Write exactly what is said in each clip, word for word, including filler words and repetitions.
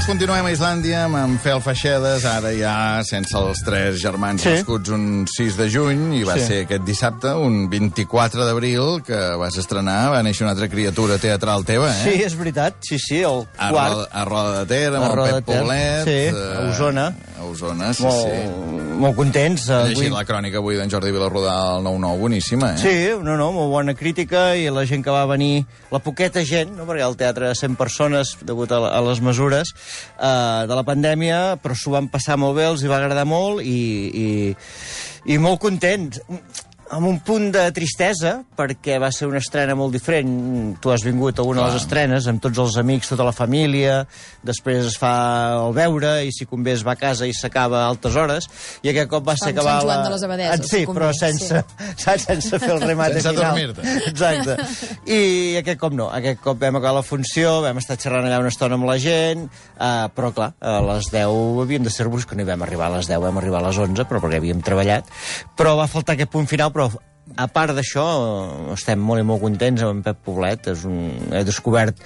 Doncs continuem a Islàndia amb en Fel Feixedes, ara ja sense els tres germans Sí. nascuts un sis de juny, i va Sí. ser aquest dissabte, un vint-i-quatre d'abril, que vas estrenar, va néixer una altra criatura teatral teva, eh? Sí, és veritat, sí, sí, el A quart. Roda, a Roda de Ter, amb A Roda el de Pep Ter, Poblet. sí, eh, a Osona. A Osona, sí, molt, sí. molt contents. He Avui... llegit la crònica avui d'en Jordi Vilarrodà al nou nou, boníssima, eh? Sí, no, no, molt bona crítica, i la gent que va venir, la poqueta gent, no, perquè el teatre de cent persones, degut a, a les mesures eh, de la pandèmia, però s'ho van passar molt bé, els hi va agradar molt, i, i, i molt contents. Amb un punt de tristesa, perquè va ser una estrena molt diferent. Tu has vingut a una Clar. de les estrenes amb tots els amics, tota la família, després es fa el veure, i si convé es va a casa i s'acaba a altes hores, i aquest cop va ser Com acabar... Sant Joan la... de les Abadeses, Ah, sí, si convé, però sense, sí. sense fer el remate Sense final. adormir-te. Exacte. I aquest cop no. Aquest cop vam acabar la funció, vam estar xerrant allà una estona amb la gent, uh, però clar, a les deu havíem de ser-vos, que no hi vam arribar a les deu, vam arribar a les onze, però perquè havíem treballat. Però va faltar aquest punt final, però a part d'això, estem molt i molt contents amb en Pep Poblet. És un... He descobert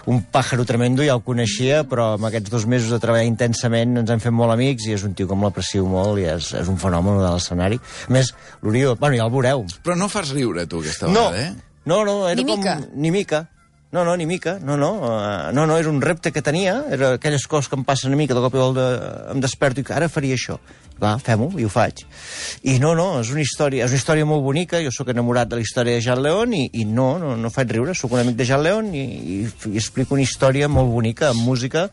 un pàjaro tremendo, ja el coneixia, però amb aquests dos mesos de treballar intensament ens hem fet molt amics, i és un tio com l'aprecio molt, i és, és un fenomen de l'escenari. A més, l'Oriol, bueno, ja el veureu. Però no fas riure, tu, aquesta No, vegada, eh? no, no, era Ni com... mica. Ni mica. No, no, ni mica, no, no, uh, no, no, era un repte que tenia, era aquelles coses que em passen a mi, que de cop i volta em desperto i que ara faria això. Va, fem-ho, i ho faig. I no, no, és una història, és una història molt bonica, jo sóc enamorat de la història de Jean León, i, i no, no, no faig riure, sóc un amic de Jean León, i, i, i explico una història molt bonica, amb música,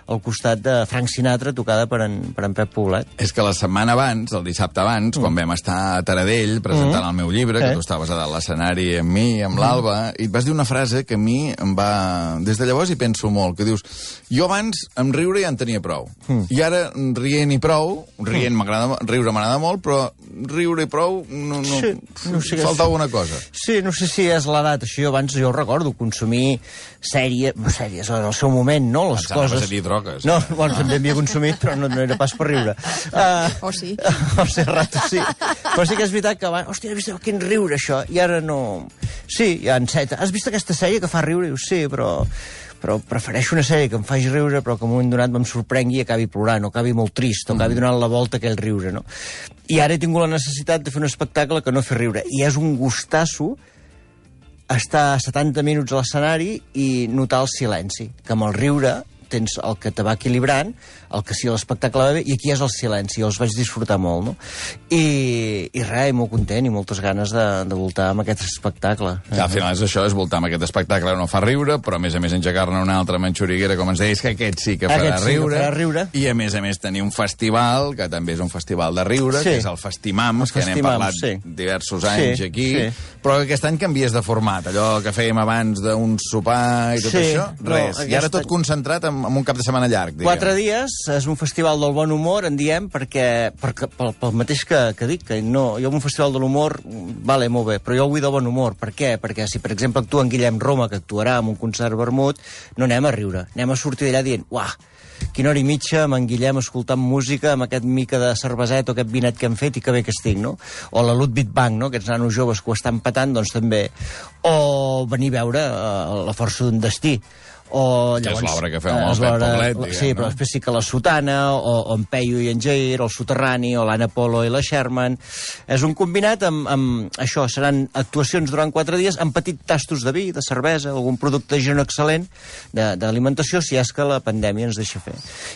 al costat de Frank Sinatra, tocada per en, per en Pep Poblet. És que la setmana abans, el dissabte abans, mm. quan vam estar a Taradell presentant mm. el meu llibre, que Eh. tu estaves a dalt l'escenari amb mi, amb mm. l'Alba, i et vas dir una frase que a mi em va... Des de llavors hi penso molt, que dius, jo abans amb riure ja en tenia prou. Mm. I ara rient i prou, rient m'agrada, riure m'agrada molt, però riure i prou, no, no, Sí, no sé què falta és. alguna cosa. Sí, no sé si és l'edat, això jo abans jo ho recordo, consumir sèrie, sèries en el seu moment, no? Les Anaves coses... a dir drogues. No, bueno, també havia consumit, però no, no era pas per riure. Uh, O sí. O sigui, rato sí. Però sí que és veritat que abans... Hòstia, has vist quin riure, això? I ara no... Sí, ja enceta. Has vist aquesta sèrie que fa riure? Dius, sí, però... però prefereixo una sèrie que em faci riure, però que en un moment donat me'm sorprengui i acabi plorant, o acabi molt trist, o acabi donant la volta a aquell riure, no? I ara he tingut la necessitat de fer un espectacle que no fer riure. I és un gustasso estar setanta minuts a l'escenari i notar el silenci, que amb el riure tens el que te va equilibrant, el que sí l'espectacle va bé, i aquí és el silenci, els vaig disfrutar molt, no? I, i res, i molt content, i moltes ganes de, de voltar amb aquest espectacle. Que al final és això, és voltar amb aquest espectacle, no fa riure, però a més a més engegar-ne una altra manxuriguera, com ens deies, que aquest sí que farà, Aquest sí que riure, farà riure. I a més a més tenir un festival, que també és un festival de riure, Sí. que és el Festimams, El que n'hem Festimams, parlat sí. diversos anys Sí, aquí, sí. però que aquest any canvies de format, allò que fèiem abans d'un sopar i tot Sí, això, no, res. I ara aquest tot any- concentrat en, en un cap de setmana llarg, diguem. Quatre dies, és un festival del bon humor, en diem, perquè, perquè pel, pel mateix que, que dic, que no, jo amb un festival de l'humor, vale, molt bé, però jo vull de bon humor. Per què? Perquè si, per exemple, actua en Guillem Roma, que actuarà en un concert vermut, no anem a riure, anem a sortir d'allà dient, uah, quina hora i mitja amb en Guillem escoltant música, amb aquest mica de cerveset o aquest vinet que hem fet, i que bé que estic, no? O la Ludwig Bank, no? Aquests nanos joves que ho estan patant, doncs també. O venir a veure uh, La força d'un destí. O, Que és llavors, l'obra que feu amb eh, el és Pep l'obra- Poblet, diguem, Sí, però no? després sí que la Sotana, o, o en Peyu i en Jair, o el Soterrani, o l'Anna Polo i la Sherman. És un combinat amb, amb això, seran actuacions durant quatre dies amb petits tastos de vi, de cervesa, algun producte de gent excel·lent de- d'alimentació, si és que la pandèmia ens deixa fer.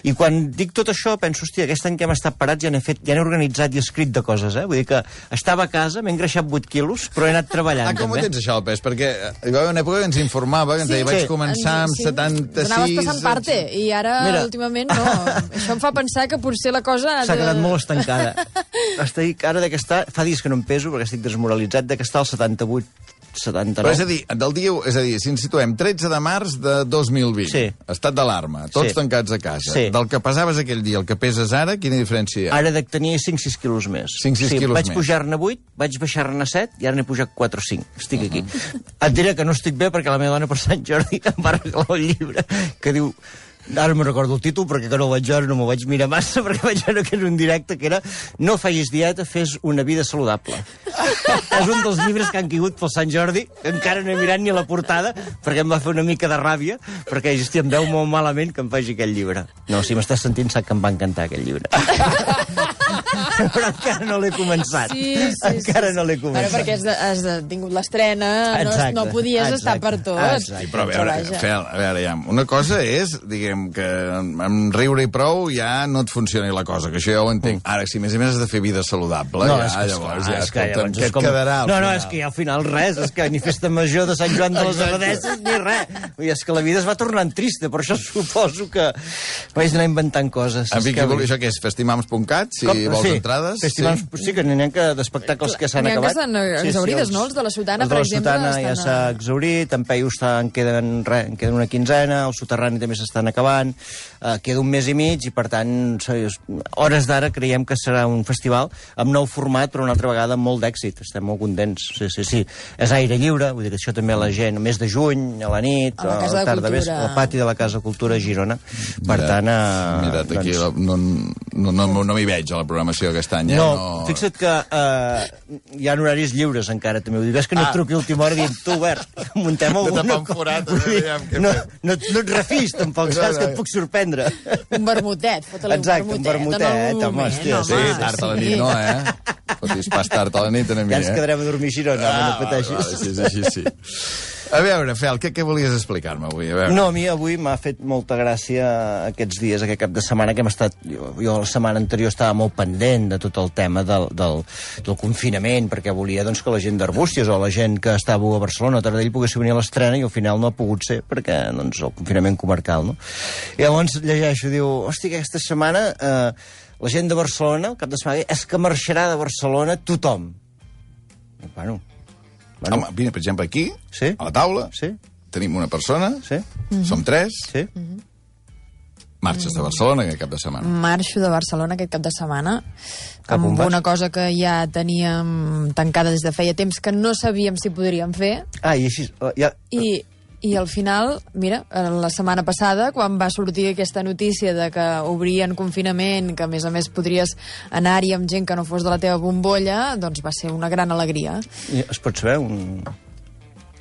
I quan dic tot això, penso, hòstia, aquest any que hem estat parats ja n'he fet, ja n'he organitzat i escrit de coses, eh? Vull dir que estava a casa, m'he engreixat vuit quilos, però he anat treballant, Ah, com ho també. tens, això, el pes? Perquè hi va haver una època que ens informava, que ens Sí, deia, vaig sí. començar amb Sí. setanta-sis... Anaves passant parte, i ara, Mira. últimament, no. Això em fa pensar que potser la cosa... ha S'ha de- quedat molt estancada. Estic ara de que està... Fa dies que no em peso, perquè estic desmoralitzat, de que està al setanta-vuit, setanta-nou. Però és a dir, del dia, és a dir, si ens situem tretze de març de dos mil vint, Sí. estat d'alarma, tots Sí. tancats a casa, Sí. del que pesaves aquell dia, el que peses ara, quina diferència hi ha? Ara de tenir cinc sis quilos més. cinc sis sí, quilos vaig més. pujar-ne vuit, vaig baixar-ne set, i ara n'he pujat quatre o cinc. Estic aquí. Et diré que no estic bé perquè la meva dona per Sant Jordi em va regalar un llibre que diu Ara no me'n recordo el títol, perquè que no el vaig veure, no m'ho vaig mirar massa, perquè vaig veure que era un directe, que era No facis dieta, fes una vida saludable. És un dels llibres que han caigut pel Sant Jordi, que encara no he mirat ni a la portada, perquè em va fer una mica de ràbia, perquè, hòstia, em veu molt malament que em faci aquest llibre. No, si m'estàs sentint, sap que em va encantar aquest llibre. Però encara no l'he començat. Sí, sí, encara sí, no l'he sí. començat. Bueno, perquè has, de, has de, tingut l'estrena, no, no podies exacte, estar per tot. exacte. Sí, però a veure, Fel, a veure, ja, una cosa és, diguem, que amb riure i prou ja no et funcioni la cosa, que això ja ho entenc. Ara, si més a més has de fer vida saludable, No, ja, és que, llavors, esclar, ja, és que escolta'm, llavors què és et com... quedarà al No, no, final? és que al final res, és que ni festa major de Sant Joan de les Abadesses ni res. I és que la vida es va tornant trista, per això suposo que vaig anar inventant coses. En fi, És que... què vol, això què és? Festimams punt cat, si Com? vols sí, entrades? Festivals, sí. sí, que n'hi ha que d'espectacles que s'han N'hi ha que acabat. estan exaurides, no? Els de la Sotana, els de per la exemple, Sotana ja estan s'ha a- exaurit, en Peyu està, en queden, re, en queden una quinzena, el Soterrani també s'estan acabant, eh, queda un mes i mig, i per tant, hores d'ara creiem que serà un festival amb nou format, però una altra vegada amb molt d'èxit. Estem molt contents. Sí, sí, sí. És aire lliure, vull dir que això també la gent, mes de juny, a la nit, A la Casa de tarda, Cultura. vespre, al pati de la Casa de Cultura a Girona. Per Mira, tant, eh, Mira't, aquí doncs... no, no, no, no, no m'hi veig a la programació aquest any. Eh? No, no, fixa't que eh, hi ha horaris lliures encara, també. Vull dir, ves que no et Ah. truqui a última hora dient, tu, Bert, muntem De alguna tapar un forat, Vull dir, aviam què no, fem. no, no et refis, tampoc, No, saps, no. que et puc sorprendre. Un vermutet, fota-li un Exacte, un vermutet. vermutet, en algun home, moment, hòstia, Sí, home, tard a la sí. nit no, eh? Fotis pas tard a la nit a mi, Ja ens eh? quedarem a dormir a Girona, ah, no vale, pateixis. vale, sí, sí, sí, sí. A veure, Fel, què, què volies explicar-me avui? A veure. No, a mi avui m'ha fet molta gràcia aquests dies, aquest cap de setmana, que hem estat... Jo, jo la setmana anterior estava molt pendent de tot el tema del, del, del confinament, perquè volia doncs, que la gent d'Arbúcies o la gent que estava a Barcelona a Taradell pogués venir a l'estrena, i al final no ha pogut ser, perquè doncs, el confinament comarcal, no? I llavors llegeixo, diu, hòstia, aquesta setmana eh, la gent de Barcelona, el cap de setmana, és que marxarà de Barcelona tothom. I, bueno... Bueno, Home, vine, per exemple, aquí, Sí. a la taula, sí, tenim una persona, sí, som tres, sí. marxes de Barcelona aquest cap de setmana. Marxo de Barcelona aquest cap de setmana Cap on amb vas? una cosa que ja teníem tancada des de feia temps, que no sabíem si podríem fer, Ah, i així... eh, Ja... i, i al final, mira, la setmana passada, quan va sortir aquesta notícia de que obrien confinament, que a més a més podries anar-hi amb gent que no fos de la teva bombolla, doncs va ser una gran alegria. I es pot saber un...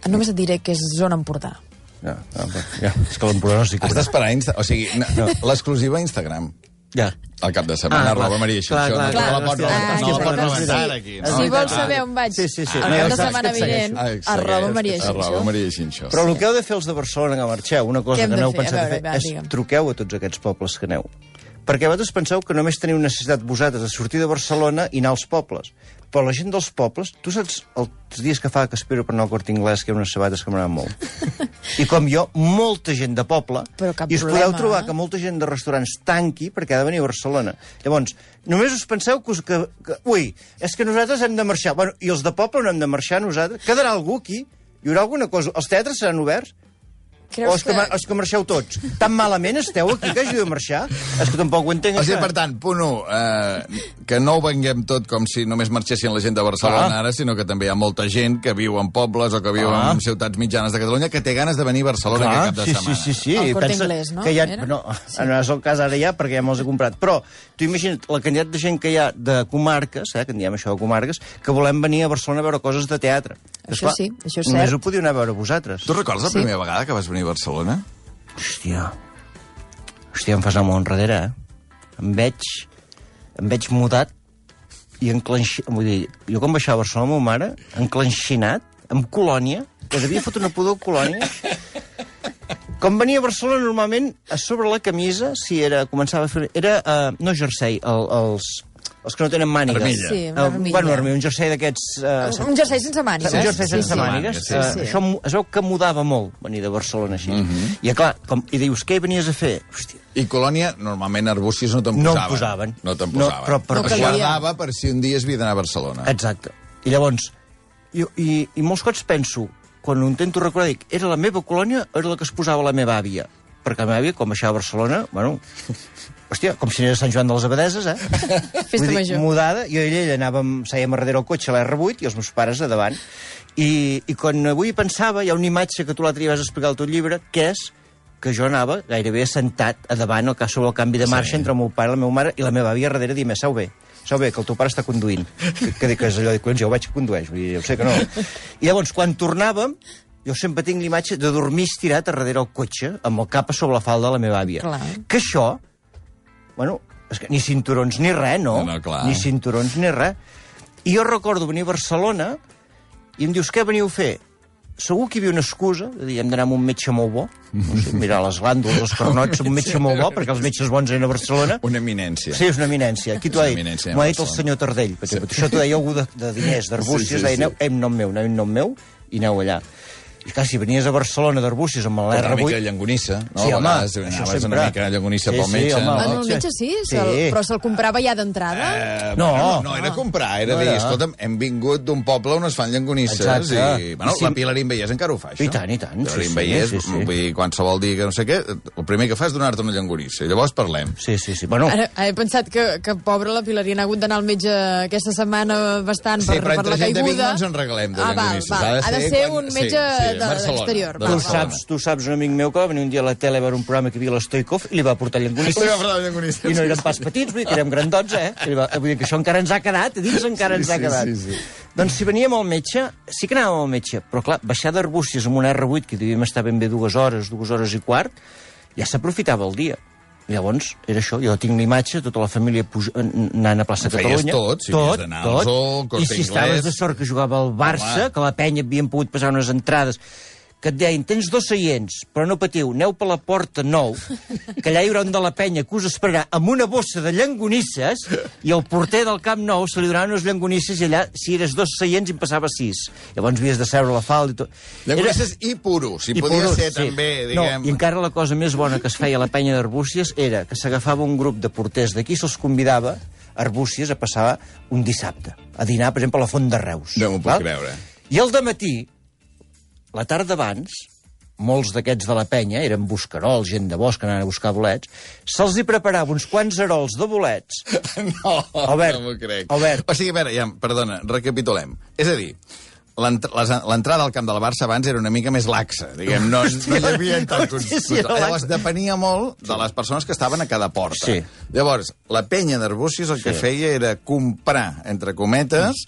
Només et diré que és zona Empordà. Ja, ja, ja. És que l'Empordà no s'hi Has d'esperar, Insta... o sigui, no, l'exclusiva a Instagram. Ja. Al cap de setmana, Ah, clar. arroba Maria Clar, Xinxó. clar, No te clar. la pots Hòstia, rebentar, no la ah, pots sí. rebentar Sí. aquí. Si No? vols saber on vaig Sí, sí, sí. el No, cap ja de saps setmana que et segueixo. vinent, Ah, segueix. arroba Maria Arroba Xinxó. Maria Xinxó. Però el que heu de fer els de Barcelona que marxeu, una cosa Què hem que de no heu fer? pensat A a veure, fer, va, és digue'm. truqueu a tots aquests pobles que aneu. Perquè vosaltres penseu que només teniu necessitat vosaltres de sortir de Barcelona i anar als pobles. Però la gent dels pobles, tu saps els dies que fa que espero per anar al Corte Inglés, que hi ha unes sabates que m'agraden molt. I com jo, molta gent de poble, Però cap i us problema, podeu trobar eh? que molta gent de restaurants tanqui perquè ha de venir a Barcelona. Llavors, només us penseu que, us, que, que... Ui, és que nosaltres hem de marxar. Bueno, i els de poble no hem de marxar nosaltres? Quedarà algú aquí? Hi haurà alguna cosa? Els teatres seran oberts? Creus O és que, que... mar- és que marxeu tots? Tan malament esteu aquí que hagi de marxar? És que tampoc ho entenc, O sigui, això. per tant, punt u, eh, que no ho venguem tot com si només marxessin la gent de Barcelona Ah. ara, sinó que també hi ha molta gent que viu en pobles o que viu Ah. en ciutats mitjanes de Catalunya que té ganes de venir a Barcelona Clar, aquest cap de sí, setmana. sí, sí, sí. El I Corte pensa Inglés, no? Que hi ha... Era? No, no és el cas ara ja, perquè ja me'ls he comprat. Però tu imagina't la quantitat de gent que hi ha de comarques, eh, que en diem això de comarques, que volem venir a Barcelona a veure coses de teatre. Això sí, això és només cert. ho podíeu anar a veure vosaltres. Tu recordes la Sí. primera vegada que vas venir a Barcelona? Hòstia. Hòstia, em fas anar molt enrere, eh? Em veig... Em veig mudat i enclenxi... Vull dir, jo quan baixava a Barcelona, la meva mare, enclenxinat, amb colònia, que devia fotre una pudor colònia. Com venia a Barcelona, normalment, a sobre la camisa, si era... Començava a fer... Era, uh, no jersei, el, els... Els que no tenen mànigues. Armilla. Sí, una Eh, armilla. bueno, armilla, un jersei d'aquests... Uh, Un jersei sense mànigues. un jersei sense sí, sí. mànigues. sí, Eh, sí. Això mu- es veu que mudava molt, venir de Barcelona així. Mhm. I, clar, com, i dius, què hi venies a fer? Hòstia, I Colònia, normalment Arbúcies no te'n no posaven. em posaven. No te'n No, posaven. però per- Es No calia. guardava per si un dia es havia d'anar a Barcelona. Exacte. I llavors, i, i, i molts cops penso, quan ho intento recordar, dic, era la meva colònia o era la que es posava la meva àvia? Perquè la meva àvia, com baixava a Barcelona, bueno, hòstia, com si anés a Sant Joan de les Abadeses, eh? Festa Vull dir, major. mudada, jo i ella anàvem, sèiem a darrere el cotxe a l'R vuit i els meus pares a davant. I, I quan avui pensava, hi ha una imatge que tu l'altre dia vas explicar al teu llibre, que és que jo anava gairebé assentat a davant, al cas sobre el canvi de marxa, sí, entre el meu pare, la meva mare i la meva àvia darrere, dient, sau bé, sau bé, que el teu pare està conduint. Que, que, que és allò, collons, jo ho veig que condueix, vull dir, jo sé que no. I llavors, quan tornàvem, jo sempre tinc l'imatge de dormir estirat a darrere el cotxe, amb el cap a sobre la falda de la meva àvia. Clar. Que això, bueno, és que ni cinturons ni res, no? No, no, clar. Ni cinturons ni res. I jo recordo venir a Barcelona i em dius, què veniu a fer? Segur que hi havia una excusa, de dir, hem d'anar amb un metge molt bo, no sé, mirar les glàndules, els carnots, un metge molt bo, perquè els metges bons eren a Barcelona. Una eminència. Sí, és una eminència. Aquí t'ho ha dit, m'ho ha dit el senyor Tardell. Sí. Això t'ho deia algú de, de diners, d'Arbúcies, sí, sí, deia, aneu, em nom meu, aneu en nom meu, i aneu allà. I clar, si venies a Barcelona d'Arbúcies amb l'R vuit... Una mica de llangonissa, no? Sí, home, això sempre. Una mica de llangonissa sí, pel metge, sí, home, no? Bueno, el metge sí, sí. Però se'l comprava ja d'entrada? Eh, no, bueno, no era comprar, era no dir, era. Escolta'm, hem vingut d'un poble on es fan llangonisses. Exacte. I, bueno, I si... la Pilarín Vallès encara ho fa, això. I tant, i tant. Pilarín sí, Vallès, sí, sí. vull dir, qualsevol dia que no sé què, el primer que fa és donar-te una llangonissa, i llavors parlem. Sí, sí, sí. Bueno... Ara, he pensat que, que pobra la Pilarín ha hagut d'anar al metge aquesta setmana bastant sí, per, per la caiguda. Sí, però entre gent de Vic no ens en regalem de ah, llangonisses. Val, val. Ha de ser quan... un metge sí, sí, de, d'exterior. Tu saps, tu saps un amic meu que va venir un dia a la tele a veure un programa que hi havia l'Stoikov i li va portar llangonisses. I no érem pas petits, vull dir que érem grandons, eh? Va, vull dir que això encara ens ha quedat, a dins encara sí, ens ha quedat. Sí, sí, sí. Doncs si veníem al metge, sí que anàvem al metge, però clar, baixar d'Arbúcies amb un R vuit, que devíem estar ben bé dues hores, dues hores i quart, ja s'aprofitava el dia. I llavors, era això, jo tinc l'imatge, tota la família puja, anant a plaça Catalunya. Tot, si tot, d'anar tot. al Zoo, Corte I si Inglés. estaves de sort que jugava al Barça, home, que la penya havien pogut passar unes entrades, que et deien, tens dos seients, però no patiu, aneu per la porta nou, que allà hi haurà un de la penya que us esperarà amb una bossa de llangonisses, i el porter del Camp Nou se li donaven unes llangonisses, i allà, si eres dos seients, en passava sis. Llavors havies de seure a la falda i tot. Llangonisses i puros, si I podia puros, ser sí. també, diguem... No, i encara la cosa més bona que es feia a la penya d'Arbúcies era que s'agafava un grup de porters d'aquí, se'ls convidava a Arbúcies a passar un dissabte, a dinar, per exemple, a la Font de Reus. No m'ho puc creure. I al dematí, la tarda abans, molts d'aquests de la penya, eren buscarols, gent de bosc, anaven a buscar bolets, se'ls hi preparava uns quants arols de bolets. No, Albert, no m'ho crec. Albert. O sigui, a veure, ja, perdona, recapitulem. És a dir, l'entrada al camp del Barça abans era una mica més laxa, diguem, no, no hi havia tants... Sí, sí, llavors depenia molt de les persones que estaven a cada porta. Sí. Llavors, la penya d'Arbúcies el que Sí. feia era comprar, entre cometes,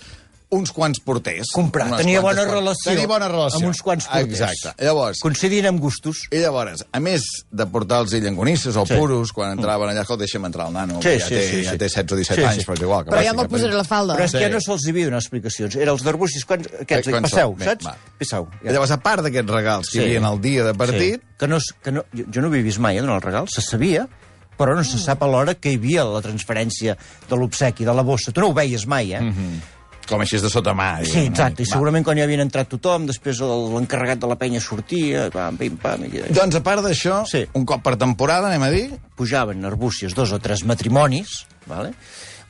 uns quants porters. Comprar, unes tenia bona quantes relació. Tenia bona relació. Amb uns quants porters. Exacte. Llavors, coincidint amb gustos. i llavors, a més de portar-los llangonisses o Sí. puros, quan entraven allà, escolta, deixa'm entrar el nano, Sí, que ja, sí, té, sí, ja sí. té setze o disset Sí, anys, sí. però és igual. Que Però vagi ja me'l cap posaré allà. la falda. Però és Sí. que ja no se'ls havia donat explicacions. Eren els d'Arbúcies, quants, aquests, Eh, quants passeu, són? Bé, saps? va. Passeu. I llavors, a part d'aquests regals que Sí. hi havia el dia de partit, Sí. Que no, és- que no, jo, jo no ho havia vist mai, eh, donar el regal, se sabia, però no se sap alhora que hi havia la transferència de l'obsequi, de la bossa. Tu no ho veies mai, eh? Mm-hmm. com així és de sota mà. Sí, diguem, exacte, i Va. segurament quan ja havien entrat tothom, després el- l'encarregat de la penya sortia, pam, pim, pam... I... Doncs, a part d'això, Sí. un cop per temporada, anem a dir, Pujaven a Arbúcies dos o tres matrimonis, vale?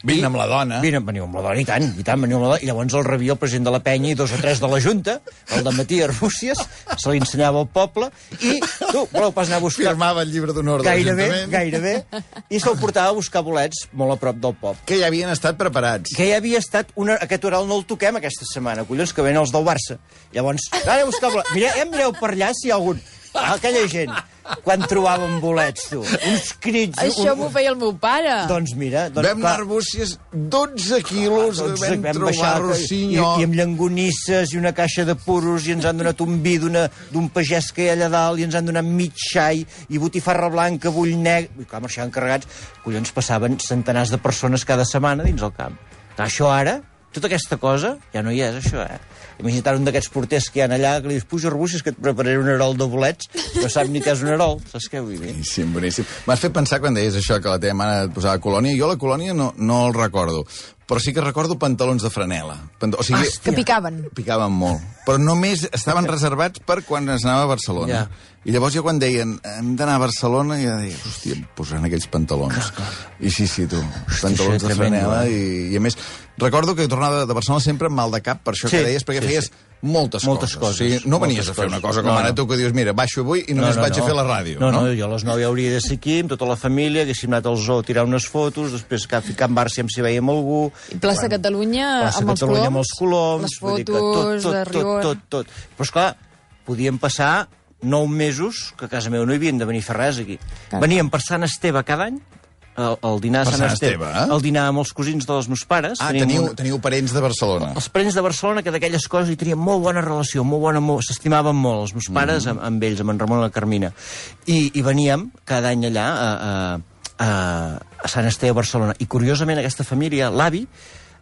vine amb la dona. Vine, veniu amb la dona, i tant, i tant, veniu amb la dona. I llavors el rebia el president de la penya i dos o tres de la Junta, el de matí a Arbúcies, se li ensenyava al poble, i tu, voleu pas anar a buscar... Firmava el llibre d'honor de Gairebé, l'Ajuntament. gairebé, i se'l portava a buscar bolets molt a prop del poble. Que ja havien estat preparats. Que ja havia estat... Una, aquest oral no el toquem aquesta setmana, collons, que venen els del Barça. Llavors, ara a buscar bolets. Mireu, eh, mireu per allà si hi ha algun... Aquella gent, quan trobàvem bolets, tu, uns crits... Això un... m'ho feia el meu pare. Doncs mira... Doncs, Vam anar a Arbúcies dotze quilos, doncs, vam, vam trobar baixar, i, rossinyol. i amb llangonisses i una caixa de puros i ens han donat un vi d'una- d'un pagès que hi ha allà dalt i ens han donat mig xai i botifarra blanca, bull negre... I clar, marxaven carregats. Collons, passaven centenars de persones cada setmana dins el camp. Clar, això ara, tota aquesta cosa, ja no hi és, això, eh? Imagina't un d'aquests porters que hi ha allà, que li dius, puja Arbúcies, que et prepararé un arol de bolets, no sap ni què és un arol, saps què vull dir? Boníssim, boníssim. M'has fet pensar quan deies això, que la teva mare et posava colònia. Jo la colònia no, no el recordo, però sí que recordo pantalons de franela. Pant o sigui, Que picaven. picaven molt. Però només estaven reservats per quan es anava a Barcelona. Ja. I llavors jo quan deien, hem d'anar a Barcelona, ja deia, hòstia, em posaran aquells pantalons. Clar, clar. I sí, sí, tu, Hosti, pantalons això de és tremendo, franela. eh? I, I a més, recordo que tornava de, de Barcelona sempre amb mal de cap, per això Sí, que deies, perquè sí, feies sí. moltes, Moltes coses. coses, O sigui, no venies moltes a fer una coses. cosa com No, ara no. tu que dius, mira, baixo avui i només vaig a fer la ràdio. No, no, no, jo a les nou ja hauria de ser aquí, amb tota la família, haguéssim anat al zoo a tirar unes fotos, després que a ficar en bar si si veiem algú... I Plaça Quan- Catalunya Plaça amb els Catalunya coloms. amb els coloms, Les vull dir que fotos tot, tot, de tot, rigor. tot, tot. Però, esclar, podíem passar nou mesos que a casa meva no hi havien de venir a fer res aquí. Clar. Veníem per Sant Esteve cada any, el, el dinar de Per Sant Sant Esteve, Esteve, eh? el dinar amb els cosins dels meus pares. Ah, Tenim teniu, un- teniu parents de Barcelona. els parents de Barcelona, que d'aquelles coses hi tenien molt bona relació, molt bona, molt, s'estimaven molt, els meus pares Mhm. amb, amb ells, amb en Ramon i la Carmina. I, i veníem cada any allà a, a, a, a Sant Esteve, a Barcelona. I curiosament aquesta família, l'avi,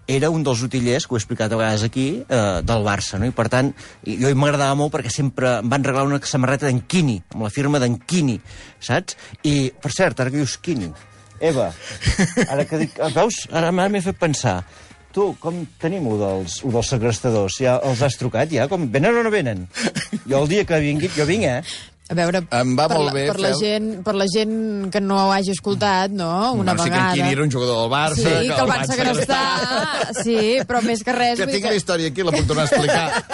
era un dels utillers, que ho he explicat a vegades aquí, eh, del Barça, no? I per tant, i- jo m'agradava molt perquè sempre em van regalar una samarreta d'en Quini, amb la firma d'en Quini, saps? I, per cert, ara que dius Quini, Eva, ara que dic, veus, ara m'he fet pensar, tu, com tenim un dels, un dels segrestadors? Ja els has trucat, ja? Com, venen o no venen? Jo el dia que vingui, jo vinc, eh? A veure, Em va per, molt la, bé per, la fer- gent, per la gent que no ho hagi escoltat, no?, una Bueno, sí que vegada... en Quini era un jugador del Barça. Sí, que el van segrestar, sí, però més que res... Que vull dir tinc la història aquí, la puc tornar a explicar.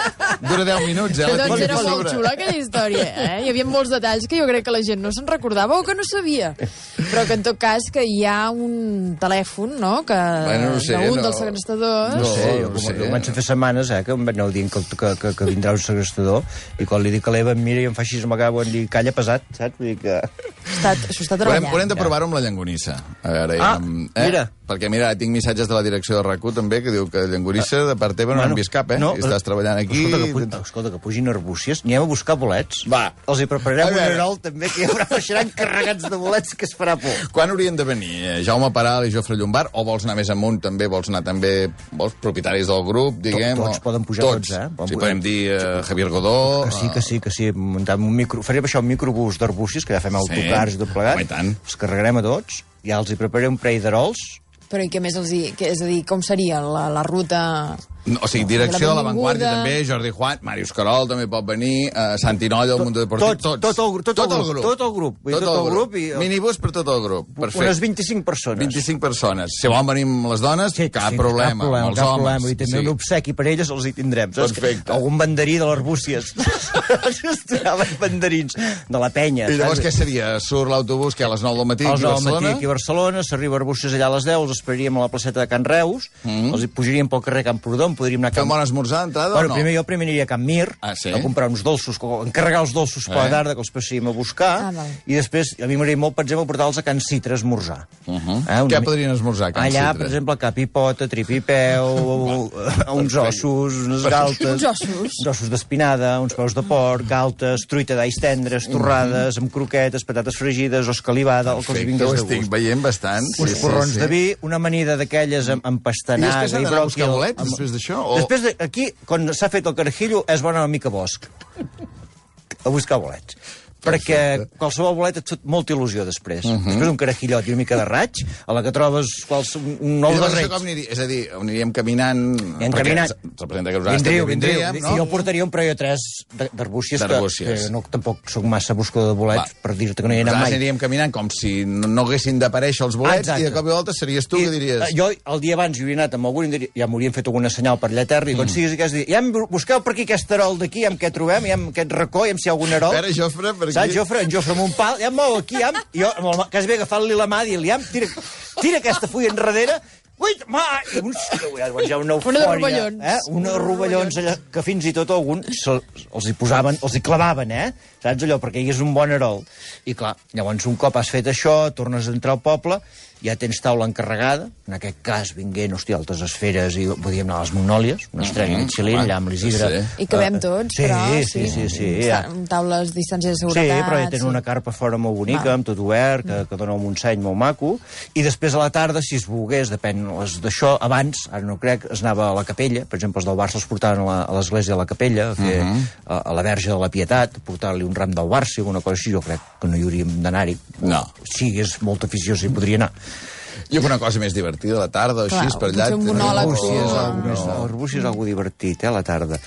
Dura deu minuts, eh? Que La doncs tinc era aquí molt sobre. xula aquella història, eh? Hi havia molts detalls que jo crec que la gent no se'n recordava o que no sabia. Però que en tot cas que hi ha un telèfon, no?, que Bueno, no sé, d'un no. dels segrestadors... No sé, jo, no com, sé. jo començo a fer setmanes eh, que em aneu dient que, que, que, que vindrà un segrestador i quan li dic a l'Eva em mira i em fa així, m'acabo en dir, calla pesat, saps? Vull dir que... Està, s'ho està Haurem, treballant. haurem de provar-ho amb la llangonissa. A veure, Ah, amb, mira. Perquè, mira, tinc missatges de la direcció de RAC u també que diu que llangonissa de part teva no Bueno, n'han vist cap, eh? no, I estàs treballant aquí... Escolta, que, pu escolta, que pugin arbúcies. Anirem a buscar bolets. Va. Els hi A prepararem un veure. herol, també, que hi haurà, baixaran carregats de bolets que es farà por. Quan haurien de venir? Eh, Jaume Paral i Jofre Llombard? O vols anar més amunt també? Vols anar també... Vols propietaris del grup, diguem? Tots o... poden pujar tots, eh? Poden Sí, pujar. podem dir eh, Javier Godó... Que sí, que sí, que sí. Muntem un micro... Farem això, un microbús d'arbúcies, que ja fem autocars i tot plegat. Home, i tant. Els carregarem a tots, ja els hi prepararé un parell d'arols. Però i què més els hi... Que, és a dir, com seria la, la ruta... No, o sigui, direcció de La l'avantguàrdia benvinguda. també, Jordi Juan, Màrius Carol també pot venir, uh, Santi Nolla, el Mundo Deportiu, tot, tots. tot el- tot el grup, tot el grup, vull dir, tot el grup i- Minibús per tot el grup, perfecte. Unes vint-i-cinc persones. vint-i-cinc persones. Si volen venir amb les dones, Sí, cap sí, problema, cap problema, amb els cap homes. problema. I també sí. un obsequi per elles els hi tindrem. Saps? Perfecte. Algun banderí de l'Arbúcies. Es tiraven banderins de la penya. I llavors què saps? seria? Surt l'autobús que a les nou del matí A aquí les a nou del matí Barcelona? aquí a Barcelona, s'arriba a Arbúcies allà a les deu, els esperaríem a la placeta de Can Reus, mm. els hi pujaríem pel carrer Camprodon, podríem anar a Fem Can... bon esmorzar d'entrada Bueno, o no? primer jo primer aniria a Can Mir, Ah, sí? a comprar uns dolços, co- encarregar els dolços per Eh? la tarda, que els passaríem a buscar, Ah, val. i després, a mi m'agradaria molt, per exemple, portar-los a Can Citre a esmorzar. Uh -huh. Eh, una Què mi- podrien esmorzar, a Can Allà, Citre? per exemple, cap i pota, trip i peu, uns ossos, unes galtes... Uns ossos? Uns ossos d'espinada, uns peus de porc, galtes, truita d'alls tendres, torrades, amb croquetes, patates fregides, escalivada, el que els Perfecte, vingués ho de estic gust. veient bastant. Uns Sí, sí, porrons sí. de vi, una amanida d'aquelles amb, amb I pastanaga després han i d'anar a buscar bròquil. bolets, amb- després d'això? O... Després, de, aquí, quan s'ha fet el carajillo, és bona una mica bosc. A buscar bolets. Perquè qualsevol bolet et fot molta il·lusió després. Uh -huh. Després d'un carajillot i una mica de raig, a la que trobes quals, un, un I nou de llavors això reig. com aniria? És a dir, aniríem caminant... Anirem perquè caminant. representa que nosaltres Vindríeu, també vindríeu. vindríem, I jo portaria un parell o tres de- d'arbúcies, que, D'arbúcies. que no, tampoc sóc massa buscador de bolets, Va. per dir-te que no hi he anat Nosaltres mai. aniríem caminant com si no, no haguessin d'aparèixer els bolets Exacte. i de cop i volta series tu I, que diries... eh, Jo, el dia abans, hi hauria anat amb algun, i diria- ja m'haurien fet alguna senyal per allà a terra, i quan siguis aquest dia, ja em busqueu per aquí aquest arol d'aquí, amb què trobem, ja amb aquest racó, ja amb si hi ha algun arol. Espera, Jofre, per aquí. Saps, Jofre? En Jofre amb un pal, ja em mou aquí, ja, em- i jo, amb el, quasi bé agafant-li la mà, dient-li, ja, em tira, tira aquesta fulla enrere, ui, ma, i uns, llavors hi ha una eufòria, de rovellons. eh? Una de rovellons allà, que fins i tot algun se, els hi posaven, els hi clavaven, eh? Saps allò, perquè hi és un bon herol. I clar, llavors un cop has fet això, tornes a entrar al poble, ja tens taula encarregada, en aquest cas vinguent, hòstia, altes esferes, i podíem anar a les Magnòlies, una estrella Mhm, Michelin, home, allà amb l'Isidre. sí, I cabem Eh, tots, sí, però... Sí, sí, sí. ja. Amb taules, distància de Sí, seguretat... però ja tenen una carpa fora molt bonica, Va. amb tot obert, que, que dona un Montseny molt maco, i després a la tarda, si es volgués, depèn les d'això, abans, ara no crec, es anava a la capella, per exemple, els del Barça els portaven a la- a l'església de la capella, a fer a, a la Verge de la Pietat, a portar-li un ram del Barça, alguna cosa així, jo crec que no hi hauríem d'anar-hi. No. Si hi hagués molta afició, s'hi podria anar. I alguna cosa més divertida a la tarda, o Clar, així, per allà... potser un monòleg. Arbúcies, Oh, algo més, Arbúcies és algo divertit, eh, a la tarda.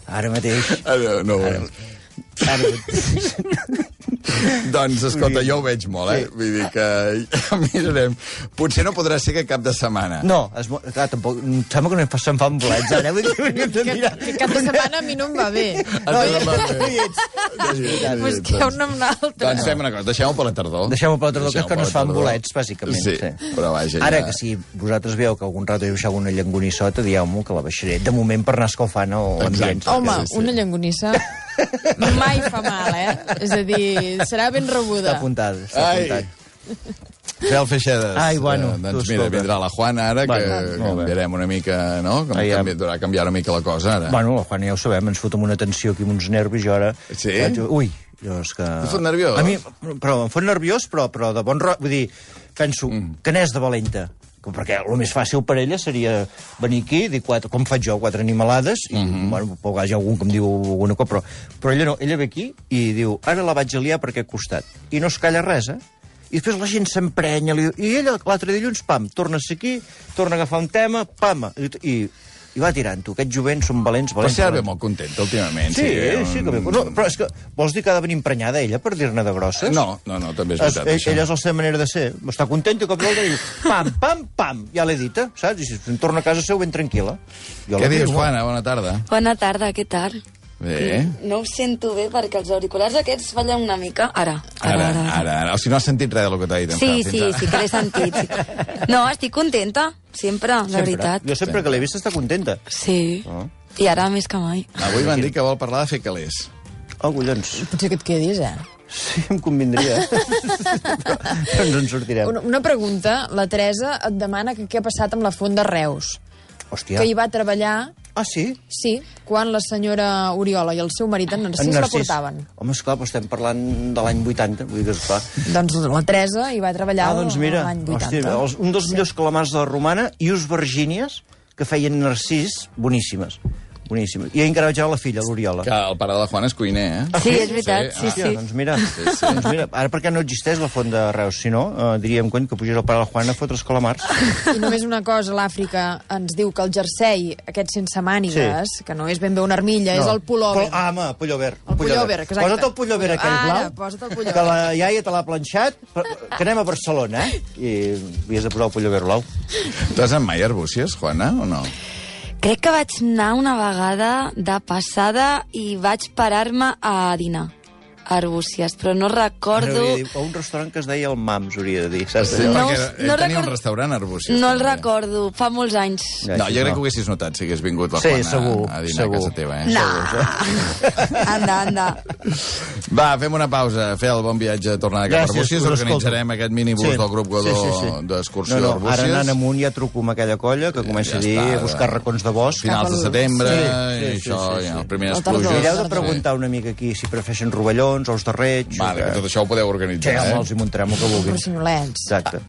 Ara mateix... Ah, no, no, Ara mateix... Doncs, escolta, jo ho veig molt, eh? Sí. Vull dir que mirarem. Potser no podrà ser que cap de setmana. No, es, clar, tampoc, em sembla que no em se'n fan bolets, ara. Vull dir que hauríem de Que, mirar. que cap de setmana a mi no em va bé. No, Ah, ja, va ja, bé. ja, ja, Busqueu un amb l'altre. Doncs fem una cosa, deixem-ho per la tardor. Deixem-ho per la tardor, que és Deixem-ho que no per es la fan tardor. bolets, bàsicament. Sí, Sí. però vaja, Ara, ja... que si vosaltres veieu que algun rato he baixat una llangonissota, dieu-m'ho, que la baixaré. De moment, per anar escalfant l'ambient. Home, Sí, sí. una llangonissa mai fa mal, eh? És a dir, serà ben rebuda. Està apuntat, està Ai. apuntat. Fel Feixedes. Ai, bueno, eh, doncs tu, mira, escolta. vindrà la Juana ara, que Bueno, molt bé. canviarem una mica, no? Que Ai, canvi, durà canviar una mica la cosa, ara. Bueno, la Juana ja ho sabem, ens fotem una tensió aquí amb uns nervis, jo ara... Sí? Vaig- Ui, jo és que... Et fot nerviós? A mi, però em fot nerviós, però, però de bon ro... Vull dir, penso, mm. que n'és de valenta. Perquè el més fàcil per ella seria venir aquí, dir quatre, com faig jo, quatre animalades, i, mm -hmm. bueno, a vegades hi ha algun que em diu alguna cosa, però, però ella no, ella ve aquí i diu, ara la vaig aliar per aquest costat. I no es calla res, eh? I després la gent s'emprenya, li... i ella l'altre dilluns, pam, torna a ser aquí, torna a agafar un tema, pam, i, i, i va tirant-ho. Aquests jovents són valents, Però valents. si ara ve valents. molt contenta últimament. Sí, eh? sí, que bé. No, però és que vols dir que ha de venir emprenyada ella per dir-ne de grosses? No, no, no, també és Es, veritat, ell, això. ella és la seva manera de ser. Està contenta i cop d'altre diu pam, pam, pam, ja l'he dita, saps? I si em torna a casa seu ben tranquil·la. Jo Què la dius, miro. Juana? Bona tarda. Bona tarda, què tal? Bé. No us sento bé perquè els auriculars aquests fallen una mica. Ara, Ara, ara, ara. O sigui, no has sentit res del que t'ha dit en Sí, Fel, sí, fins ara. sí que l'he sentit. Sí. No, estic contenta, sempre, la Sempre. veritat. Jo sempre que l'he vista està contenta. Sí, Oh. i ara més que mai. Avui m'han dit que vol parlar de fer calés. Oh, collons. Potser que et quedis, eh? Sí, em convindria. Però ens en sortirem. Una, una pregunta. La Teresa et demana que què ha passat amb la Font de Reus. Hòstia. Que hi va treballar, Ah, sí? sí, quan la senyora Oriola i el seu marit, en Narcís, la portaven. Home, esclar, però estem parlant de l'any vuitanta, vull dir que esclar. Doncs la Teresa hi va treballar Ah, doncs mira, l'any vuitanta. hòstia, els, un dels millors calamars de la Romana i us Virgínies que feien Narcís boníssimes. Boníssimes. I encara vaig veure la filla, l'Oriola. Que el pare de la Juana és cuiner, eh? Sí, és veritat, sí, Hòstia, sí. doncs mira, doncs mira, ara perquè no existeix la font de Reus, si no, eh, diríem cony, que pugés el pare de la Juana a fotre els calamars. I només una cosa, l'Àfrica ens diu que el jersei, aquest sense mànigues, sí. que no és ben bé una armilla, no. és el pullover. Pol, ah, home, pullover. El pullover, exacte. Posa't el pullover aquell Ara, blau, posa't el pullover. que la iaia te l'ha planxat, per- que anem a Barcelona, eh? I havies de posar el pullover blau. Tu has anat mai a Arbúcies, Juana, o no? Crec que vaig anar una vegada de passada i vaig parar-me a dinar a Arbúcies, però no recordo... Hauria de dir, a un restaurant que es deia el Mams, hauria de dir, saps? Sí, allò? No, perquè ell no tenia record- un restaurant a Arbúcies. No el també. recordo, fa molts anys. Ja, No, sí, jo crec no. que ho haguessis notat si hagués vingut la Sí, Juana segur, a dinar segur. a casa teva, eh? No. Anda, anda. Va, fem una pausa. Fer el bon viatge a tornar cap a Gràcies, Arbúcies. us Organitzarem escolto. aquest minibús Sí. del grup Godó Sí, sí, sí. d'excursió No, no, d'Arbúcies. ara anant amunt ja truco amb aquella colla que comença Ja a dir, està, a buscar racons de bosc. Finals de Cap al- setembre, Sí, i sí, això, sí, sí, ja, sí. les primeres La tardor. pluges. Mireu de Sí. preguntar una mica aquí si prefereixen rovellons, ous de reig... Vale, o que què. tot això ho podeu Sí, organitzar, home, eh? els hi muntarem el que vulguin. Porcinolets. Exacte.